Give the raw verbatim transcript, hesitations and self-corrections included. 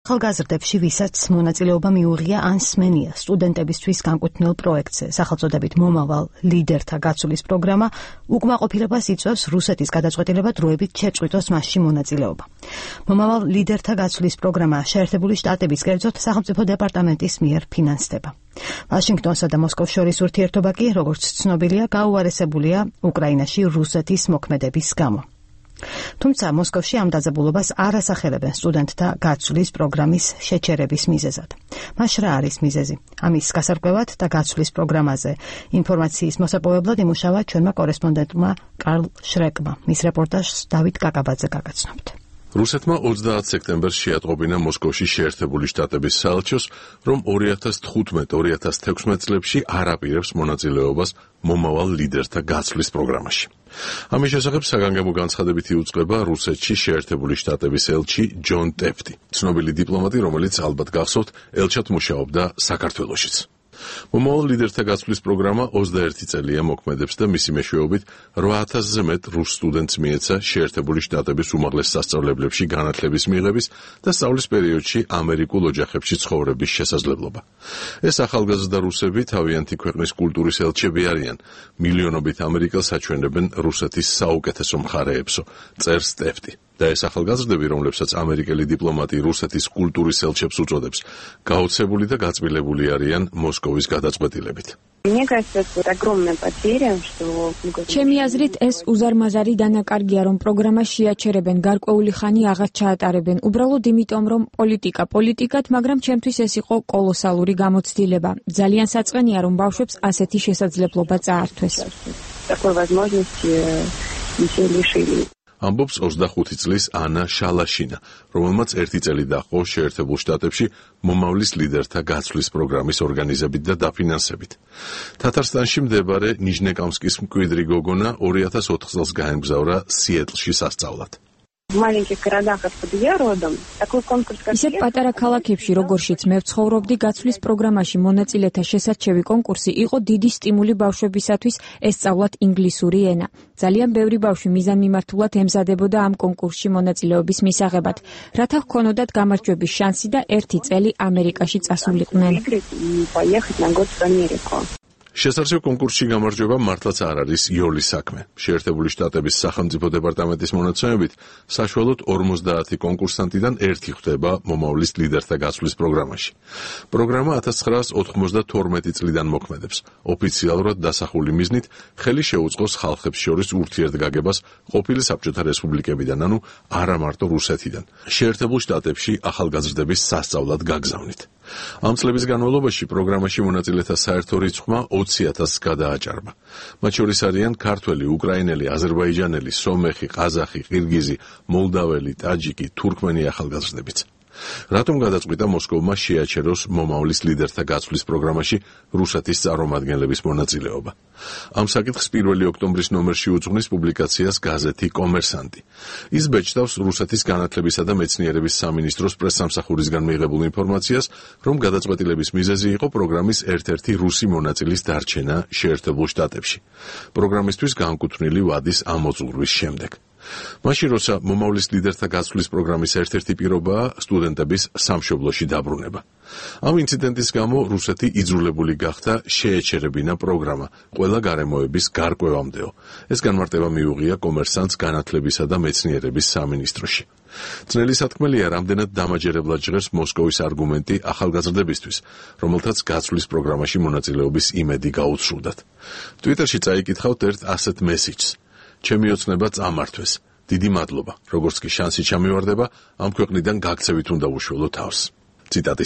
ახალგაზრდებში, ვისაც მონაწილეობა მიუღია ან სმენია სტუდენტებისთვის განკუთვნილ პროექტზე, სახელწოდებით მომავალ ლიდერთა გაცვლის პროგრამა, უკმაყოფილებას იწვევს რუსეთის გადაწყვეტილება დროებით შეწყვიტოს მასში მონაწილეობა. მომავალ ლიდერთა გაცვლის პროგრამა შეერთებული შტატების კერძოდ სახელმწიფო დეპარტამენტის მიერ ფინანსდება. ვაშინგტონსა და მოსკოვს შორის ურთიერთობა კი, როგორც ცნობილია, გაუარესებულია უკრაინაში რუსეთის მოქმედების გამო. თუმცა მოსკოვში ამ დაძაბულობას არ ასახელებენ სტუდენტთა გაცვლის პროგრამის შეჩერების მიზეზად. მას რა არის მიზეზი? ამის გასარკვევად და გაცვლის პროგრამაზე ინფორმაციის მოსაპოვებლად იმუშავა ჩვენმა კორესპონდენტმა კარლ შრეკმა. მის რეპორტაჟს დავით კაკაბაძე გაგაცნობთ. რუსეთმა ოცდაათ სექტემბერს შეატყობინა მოსკოვში შეერთებული შტატების საელჩოს, რომ ორი ათას თხუთმეტ ორი ათას თექვსმეტ წლებში არ აპირებს მონაწილეობას მომავალ ლიდერთა გაცვლის პროგრამაში. ამის შესახებ საგანგებო განცხადებითი უწყება რუსეთში შეერთებული შტატების ელჩი ჯონ ტეფტი, ცნობილი დიპლომატი, რომელიც ალბათ გახსოვთ, ელჩად მუშაობდა საქართველოშიც. მომავალ ლიდერთა გაცვლის პროგრამა ოცდაერთი წელია მოქმედებს და მისი მეშვეობით რვა ათასზე მეტ რუს სტუდენტს მიეცა შეერთებული შტატების უმაღლეს სასწავლებლებში განათლების მიღების და სწავლის პერიოდში ამერიკულ ოჯახებში ცხოვრების შესაძლებლობა. ეს ახალგაზრდა რუსები თავიანთი ქვეყნის კულტურის ელჩები არიან, მილიონობით ამერიკელს აჩვენებენ რუსეთის საუკეთესო მხარეებსო, წერს ტეფტი. და ეს ახალგაზრდები, რომლებსაც ამერიკელი დიპლომატი რუსეთის კულტურის ელჩებს უწოდებს, გაოცებული და გაწმილებული არიან მოსკოვის გადაწყვეტილებით. ჩემი აზრით, ეს უზარმაზარი დანაკარგია, რომ პროგრამა შეაჩერებენ, გარკვეული ხანი აღარ ჩაატარებენ, უბრალოდ იმიტომ, რომ პოლიტიკა პოლიტიკად, მაგრამ ჩემთვის ეს იყო კოლოსალური გამოცდილება. ძალიან საწყენია, რომ ბავშვებს ასეთი შესაძლებლობა წაართვეს. ამბობს ოცდახუთი წლის ანა შალაშინა, რომელმაც ერთი წელი დაჰყო შეერთებულ შტატებში მომავლის ლიდერთა გაცვლის პროგრამის ორგანიზებით და დაფინანსებით. თათარსტანში მდებარე ნიჟნეკამსკის მკვიდრი გოგონა ორი ათას ოთხ წელს გაემგზავრა სიეტლში სასწავლად. ისეთ პატარა ქალაქებში, როგორშიც მე ვცხოვრობდი, გაცვლის პროგრამაში მონაწილეთა შესარჩევი კონკურსი იყო დიდი სტიმული ბავშვებისათვის ესწავლათ ინგლისური ენა. ძალიან ბევრი ბავშვი მიზანმიმართულად ემზადებოდა ამ კონკურსში მონაწილეობის მისაღებად, რათა ჰქონოდათ გამარჯვების შანსი და ერთი წელი ამერიკაში წასულიყვნენ. შესაძლოა კონკურსში გამარჯვება მართლაც არ არის იოლის საქმე. შეერთებული შტატების სახელმწიფო დეპარტამენტის მონაცემებით, საშუალოდ ორმოცდაათი კონკურსანტიდან ერთი ხვდება მომავლის ლიდერთა გაცვლის პროგრამაში. პროგრამა ათას ცხრაას ოთხმოცდათორმეტი წლიდან მოქმედებს. ოფიციალურად დასახული მიზნით ხელი შეუწყოს ხალხებს შორის ურთიერთგაგებას ყოფილი საბჭოთა რესპუბლიკებიდან, ანუ არა მარტო რუსეთიდან, შეერთებულ შტატებში ახალგაზრდების სასწავლად გაგზავნით. ამ წლების განმავლობაში პროგრამაში მონაწილეთა საერთო რიცხვმა ოცი ათასს გადააჭარბა. მათ შორის არიან ქართველი, უკრაინელი, აზერბაიჯანელი, სომეხი, ყაზახი, ყირგიზი, მოლდაველი, ტაჯიკი, თურქმენი ახალგაზრდებიც. რატომ გადაწყვიტა მოსკოვმა შეაჩეროს მომავლის ლიდერთა გაცვლის პროგრამაში რუსეთის წარმომადგენლების მონაწილეობა? ამ საკითხს პირველი ოქტომბრის ნომერში უძღვნის პუბლიკაციას გაზეთი კომერსანტი. ის ბეჭდავს რუსეთის განათლებისა და მეცნიერების სამინისტროს პრესსამსახურისგან მიღებულ ინფორმაციას, რომ გადაწყვეტილების მიზეზი იყო პროგრამის ერთ-ერთი რუსი მონაწილის დარჩენა შეერთებულ შტატებში. პროგრამისთვის განკუთვნილი ვადის ამოწურვის შემდეგ. მაშინ, როცა მომავლის ლიდერთა გაცვლის პროგრამის ერთ-ერთი პირობაა სტუდენტების სამშობლოში დაბრუნება. ამ ინციდენტის გამო რუსეთი იძულებული გახდა შეეჩერებინა პროგრამა ყველა გარემოების გარკვევამდეო. ეს განმარტება მიუღია კომერსანტს განათლებისა და მეცნიერების სამინისტროში. ძნელი სათქმელია, რამდენად დამაჯერებლად ჟღერს მოსკოვის არგუმენტი ახალგაზრდებისთვის, რომელთაც გაცვლის პროგრამაში მონაწილეობის იმედი გაუცრუდათ. ტვიტერში წაიკითხავთ ერთ ასეთ მესიჯს: ჩემი ოცნება წამართვეს. დიდი მადლობა, როგორც კი შანსი ჩამივარდება, ამ ქვეყნიდან გაქცევით უნდა უშველო თავს. ციტატის